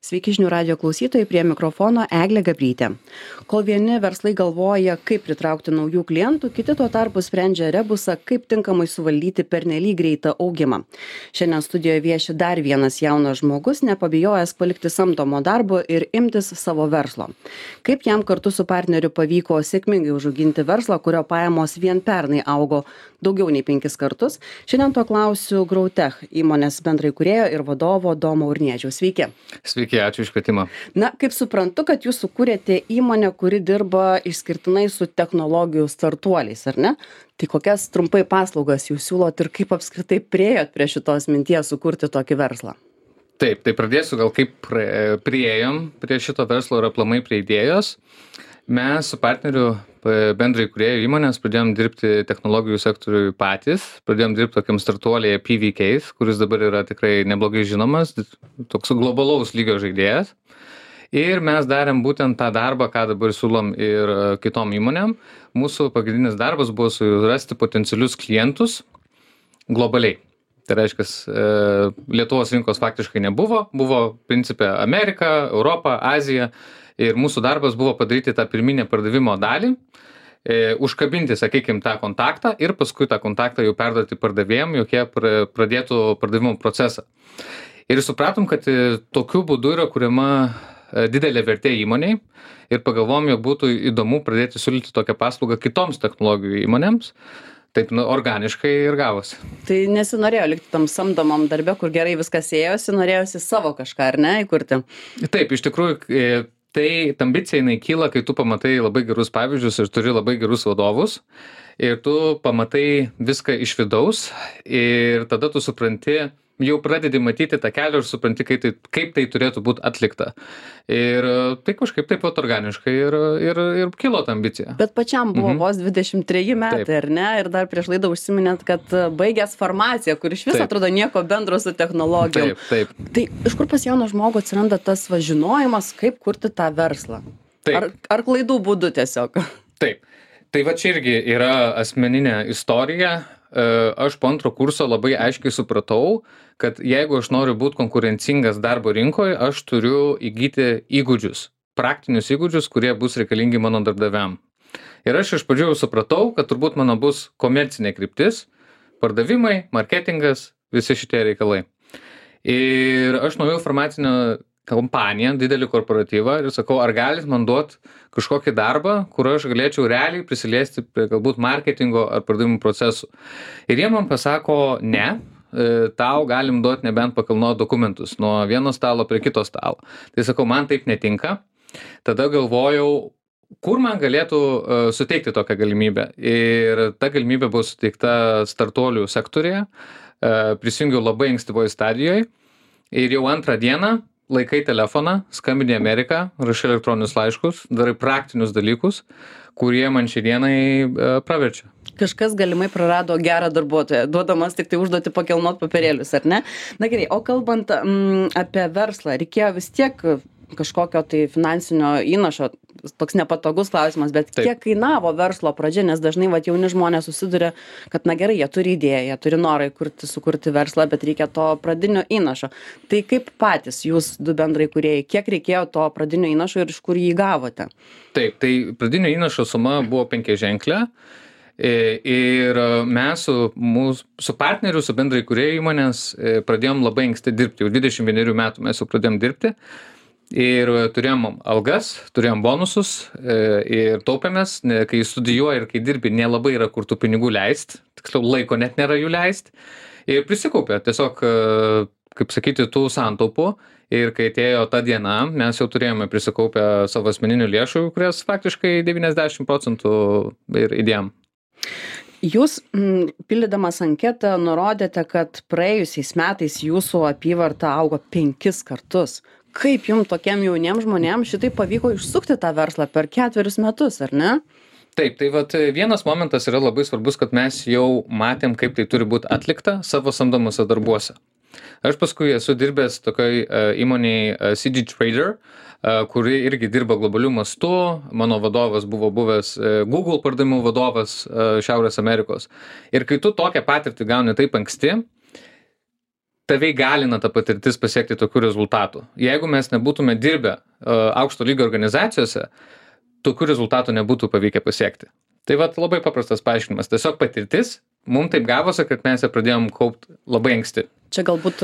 Sveiki žinių radio klausytojai, prie mikrofono Eglė Gabrytė. Kol vieni verslai galvoja, kaip pritraukti naujų klientų, kiti tuo tarpu sprendžia rebusą, kaip tinkamai suvaldyti pernelyg greitą augimą. Šiandien studijoje vieši dar vienas jaunas žmogus, nepabijojęs palikti samdomo darbo ir imtis savo verslo. Kaip jam kartu su partneriu pavyko sėkmingai užauginti verslą, kurio pajamos vien pernai augo daugiau nei 5 kartus. Šiandien to klausiu Growtech įmonės bendraįkūrėjo ir vadovo Domo Urniežiaus. Sveiki. Sveiki, ačiū iš kvietimą. Na, kaip suprantu, kad jūs sukūrėte įmonę, kuri dirba išskirtinai su technologijų startuoliais, ar ne? Tai kokias trumpai paslaugas jūs siūlot ir kaip apskritai priėjot prie šitos minties sukurti tokį verslą? Taip, tai pradėsiu gal kaip priėjom prie šito verslo ir aplamai prie idėjos. Mes su partneriu bendraįkūrėjų įmonės pradėjom dirbti technologijų sektoriui patys, pradėjom dirbti tokiam startuolyje PVKs, kuris dabar yra tikrai neblogai žinomas, toks globalaus lygio žaidėjas. Ir mes darėm būtent tą darbą, ką dabar siūlom ir kitom įmonėm. Mūsų pagrindinis darbas buvo surasti potencialius klientus globaliai. Tai reiškia, Lietuvos rinkos faktiškai nebuvo, buvo principė Amerika, Europa, Azija. Ir mūsų darbas buvo padaryti tą pirminę pardavimo dalį, užkabinti, sakykime, tą kontaktą ir paskui tą kontaktą jau perduoti pardavėjam, jog jie pradėtų pardavimo procesą. Ir supratom, kad tokiu būdu yra kuriama didelė vertė įmoniai ir pagalvom, jog būtų įdomu pradėti siūlyti tokią paslaugą kitoms technologijų įmonėms. Taip, organiškai ir gavosi. Tai nesinorėjo likti tam samdomam darbe, kur gerai viskas ėjosi, norėjosi savo kažką, ar ne, įkurti? Taip, iš tikrųjų, tai ambicija jinai kyla, kai tu pamatai labai gerus pavyzdžius ir turi labai gerus vadovus ir tu pamatai viską iš vidaus ir tada tu supranti, jau pradedi matyti tą kelią ir supranti, kaip tai turėtų būti atlikta. Ir tai kažkaip taip pat organiškai ir kilo ta ambicija. Bet pačiam buvo vos 23 metai, Taip. ar ne? Ir dar prieš laidą užsiminėt, kad baigęs farmaciją, kur iš viso Taip. atrodo nieko bendro su technologijom. Taip. Tai iš kur pas jauną žmogų atsiranda tas žinojimas, kaip kurti tą verslą? Taip. Ar klaidų būdu tiesiog? Taip. Tai va čia irgi yra asmeninė istorija. Aš po antro kurso labai aiškiai supratau, kad jeigu aš noriu būti konkurencingas darbo rinkoje, aš turiu įgyti įgūdžius, praktinius įgūdžius, kurie bus reikalingi mano darbdaviam. Ir aš iš pradžių supratau, kad turbūt mano bus komercinė kryptis, pardavimai, marketingas, visi šitie reikalai. Ir aš nuėjau farmacinę kompaniją, didelį korporatyvą ir sakau, ar galit man duot kažkokį darbą, kur aš galėčiau realiai prisiliesti prie galbūt marketingo ar pardavimų procesų. Ir jie man pasako, ne, tau galim duoti nebent pakilnot dokumentus nuo vieno stalo prie kito stalo. Tai sakau, man taip netinka. Tada galvojau, kur man galėtų suteikti tokią galimybę. Ir ta galimybė buvo suteikta startuolių sektorėje. Prisijungiau labai ankstyvoje stadijoje. Ir jau antrą dieną laikai telefoną, skambini Ameriką, rašai elektroninius laiškus, darai praktinius dalykus, kurie man šiandienai praverčia. Kažkas galimai prarado gerą darbuotoją, duodamas tik tai užduoti pakilnot papirėlius, ar ne? Na gerai, o kalbant apie verslą, reikėjo vis tiek kažkokio tai finansinio įnašo, toks nepatogus klausimas, bet Taip. Kiek kainavo verslo pradžia, nes dažnai jauni žmonės susiduria, kad na gerai, jie turi idėją, jie turi norą sukurti verslą, bet reikia to pradinio įnašo. Tai kaip patys jūs du bendraįkūrėjai, kiek reikėjo to pradinio įnašo ir iš kur jį gavote? Taip, tai pradinio įnašo suma buvo 5-ženklė. Ir mes su partneriu, su bendraįkūrėjų įmonės pradėjom labai anksti dirbti. Jau 21 metų mes jau pradėjom dirbti. Ir turėjom algas, turėjom bonusus ir taupėmės, kai studijuoji ir kai dirbi, nelabai yra kur tų pinigų leist, tiksliau laiko net nėra jų leist. Ir prisikaupė tiesiog, kaip sakyti, tų santaupų. Ir kai atėjo ta diena, mes jau turėjome prisikaupę savo asmeninių lėšų, kurias faktiškai 90% ir įdėjom. Jūs, pildydamas anketą, nurodėte, kad praėjusiais metais jūsų apyvarta augo 5 kartus. Kaip jums tokiem jauniem žmonėm šitai pavyko išsukti tą verslą per 4 metus, ar ne? Taip, tai vat vienas momentas yra labai svarbus, kad mes jau matėm, kaip tai turi būti atlikta savo samdomuose darbuose. Aš paskui esu dirbęs tokioj įmonėj CG Trader, kuri irgi dirba globaliu mastu. Mano vadovas buvo buvęs Google pardavimų vadovas Šiaurės Amerikos. Ir kai tu tokią patirtį gauni taip anksti, tave įgalina ta patirtis pasiekti tokių rezultatų. Jeigu mes nebūtume dirbę aukšto lygio organizacijose, tokių rezultatų nebūtų pavykę pasiekti. Tai vat labai paprastas paaiškinimas. Tiesiog patirtis, mums taip gavosi, kad mes ją pradėjom kaupti labai anksti. Čia galbūt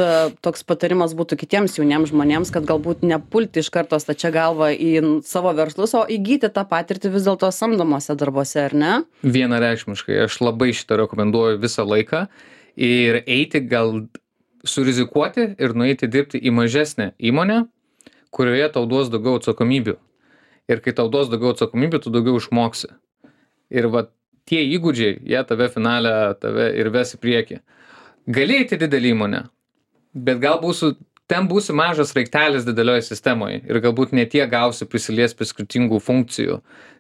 toks patarimas būtų kitiems jauniems žmonėms, kad galbūt nepulti iš karto stačia galva į savo verslus, o įgyti tą patirtį vis dėlto samdomose darbuose, ar ne? Vienareikšmiškai. Aš labai šitą rekomenduoju visą laiką ir eiti gal surizikuoti ir nueiti dirbti į mažesnę įmonę, kurioje tau duos daugiau atsakomybių. Ir kai tau duos daugiau atsakomybių, tu daugiau išmoksi. Ir va tie įgūdžiai, jie tave finale ir ves į priekį. Gali eiti didelį įmonę, bet gal ten būsi mažas raiktelis didelioje sistemoje ir galbūt ne tiek gausi prisilies prie skirtingų funkcijų.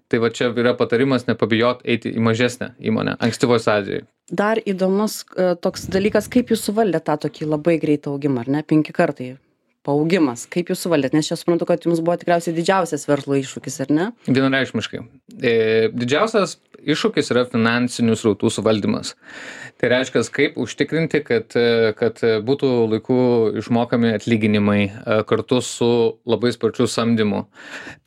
Tai va čia yra patarimas nepabijot eiti į mažesnę įmonę, ankstyvos stadijoje. Dar įdomus toks dalykas, kaip jūs suvaldėte tą tokį labai greitą augimą, ar ne? 5 kartai paaugimas. Kaip jūs suvaldėte? Nes čia suprantu, kad jums buvo tikriausiai didžiausias verslo iššūkis, ar ne? Vienareikšmiškai. Didžiausias iššūkis yra finansinių srautų suvaldymas. Tai reiškia, kaip užtikrinti, kad būtų laiku išmokami atlyginimai kartu su labai sparčiu samdymu.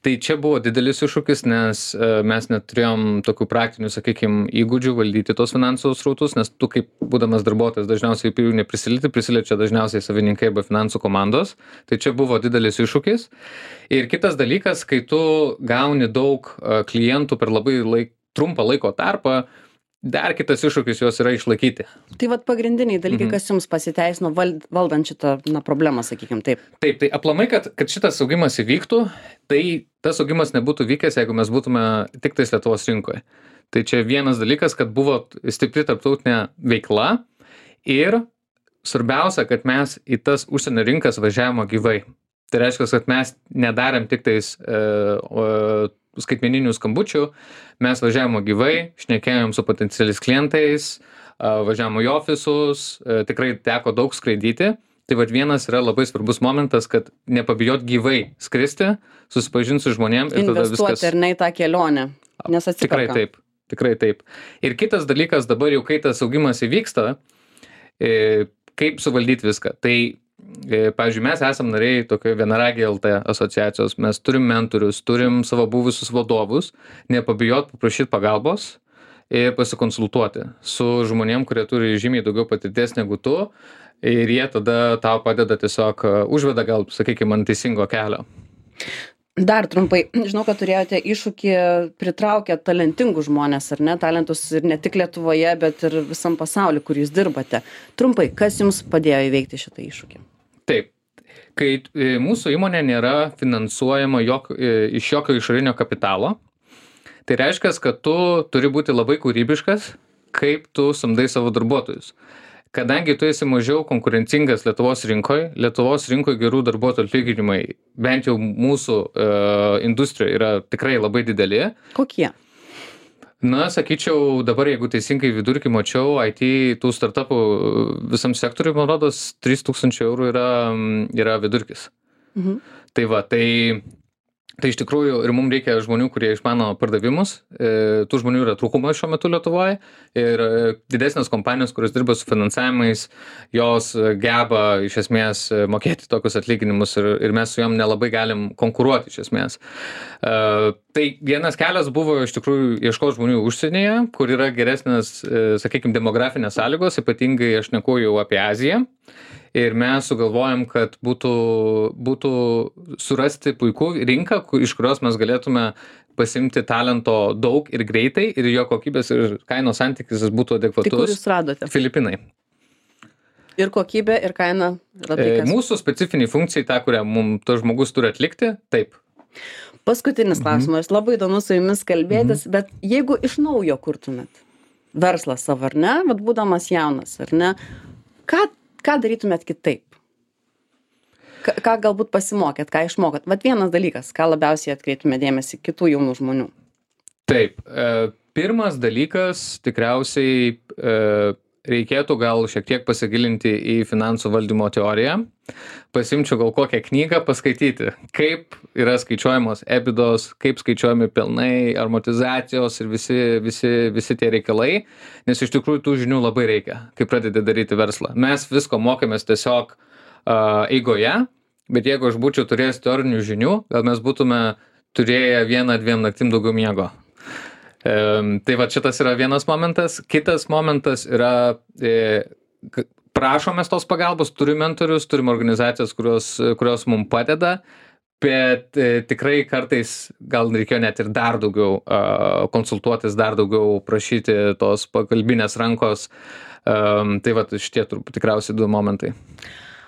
Tai čia buvo didelis iššūkis, nes mes neturėjom tokių praktinių, sakykime, įgūdžių valdyti tos finansų srautus, nes tu kaip būdamas darbuotojas dažniausiai jų prisiliečia dažniausiai savininkai arba finansų komandos. Tai čia buvo didelis iššūkis. Ir kitas dalykas, kai tu gauni daug klientų per labai trumpą laiko tarpą, dar kitas iššūkis juos yra išlaikyti. Tai vat pagrindiniai dalykai, kas jums pasiteisino valdant šitą problemą, sakykime taip. Taip, tai aplamai, kad šitas augimas įvyktų, tai tas augimas nebūtų vykęs, jeigu mes būtume tik tais Lietuvos rinkoje. Tai čia vienas dalykas, kad buvo stipri tarptautinė veikla ir svarbiausia, kad mes į tas užsienio rinkas važiavimo gyvai. Tai reiškia, kad mes nedarėm tik tais skaitmeninių skambučių, mes važiavimo gyvai, šnekėjom su potencialiais klientais, važiavimo į ofisus, tikrai teko daug skraidyti. Tai vat vienas yra labai svarbus momentas, kad nepabijot gyvai skristi, susipažinti su žmonėm ir tada viskas. Investuoti ar ne į tą kelionę, nes atsiperka. Tikrai taip. Ir kitas dalykas dabar jau, kai tas augimas įvyksta, kaip suvaldyti viską. Tai pavyzdžiui, mes esam nariai tokio Vienaragiai LT asociacijos, mes turim mentorius, turim savo buvusius vadovus, nepabijot paprašyti pagalbos ir pasikonsultuoti su žmonėm, kurie turi žymiai daugiau patirties negu tu ir jie tada tau padeda tiesiog užveda gal, sakykime, ant teisingo kelio. Dar trumpai, žinau, kad turėjote iššūkį pritraukę talentingus žmonės, ar ne, talentus ir ne tik Lietuvoje, bet ir visam pasauliu, kur jūs dirbate. Trumpai, kas jums padėjo įveikti šitą iššūkį? Taip, kai mūsų įmonė nėra finansuojama iš jokio išorinio kapitalo, tai reiškia, kad tu turi būti labai kūrybiškas, kaip tu samdai savo darbuotojus. Kadangi tu esi mažiau konkurencingas Lietuvos rinkoje gerų darbuotojų atlyginimai, bent jau mūsų industrijoje yra tikrai labai dideli. Kokie? Na, sakyčiau, dabar jeigu teisingai vidurkį mačiau, IT tų startupų visam sektoriui, man rodos, 3000 eurų yra vidurkis. Tai va, tai iš tikrųjų ir mums reikia žmonių, kurie išmano pardavimus. Tų žmonių yra trūkumas šiuo metu Lietuvoje ir didesnės kompanijos, kurios dirba su finansavimais, jos geba iš esmės mokėti tokius atlyginimus ir mes su jom nelabai galim konkuruoti iš esmės. Tai vienas kelias buvo iš tikrųjų ieškoti žmonių užsienyje, kur yra geresnės, sakykime, demografinės sąlygos, ypatingai aš šneku jau apie Aziją. Ir mes sugalvojom, kad būtų surasti puikų rinką, iš kurios mes galėtume pasimti talento daug ir greitai ir jo kokybės ir kainos santykis būtų adekvatus. Tai kur jūs radote? Filipinai. Ir kokybė, ir kaina? Mūsų specifiniai funkcijai, tą, kurią mums tas žmogus turi atlikti, taip. Paskutinis klausimas. Labai įdomu su jumis kalbėtis, bet jeigu iš naujo kurtumėt verslą savo, ar ne, vat būdamas jaunas, ar ne, ką darytumėt kitaip? Ką galbūt pasimokėt, ką išmokot? Vat vienas dalykas, ką labiausiai atkreiptumėt dėmesį kitų jaunų žmonių. Taip, pirmas dalykas tikriausiai reikėtų gal šiek tiek pasigilinti į finansų valdymo teoriją. Pasiimčiau gal kokią knygą paskaityti, kaip yra skaičiuojamos EBITDA, kaip skaičiuojami pelnai, amortizacijos ir visi tie reikalai, nes iš tikrųjų tų žinių labai reikia, kai pradedi daryti verslą. Mes visko mokėmės tiesiog eigoje, bet jeigu aš būčiau turėjęs teorinių žinių, gal mes būtume turėję 1-2 naktim daugiau miego. Tai va, šitas yra vienas momentas. Kitas momentas yra, prašomės tos pagalbos, turim mentorius, turim organizacijas, kurios mums padeda, bet tikrai kartais gal reikėjo net ir dar daugiau konsultuotis, dar daugiau prašyti tos pagalbinės rankos. Tai va, šitie tikriausiai 2 momentai.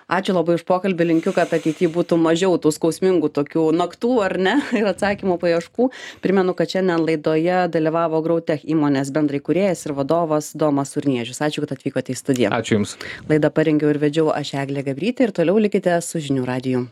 Ačiū labai už pokalbį, linkiu, kad ateityje būtų mažiau tų skausmingų tokių naktų, ar ne, ir atsakymų paieškų. Primenu, kad šiandien laidoje dalyvavo Growtech įmonės bendraįkūrėjas ir vadovas Domas Urniežius. Ačiū, kad atvykote į studiją. Ačiū Jums. Laidą parengiau ir vedžiau aš, Eglė Gabrytė, ir toliau likite su Žinių radiju.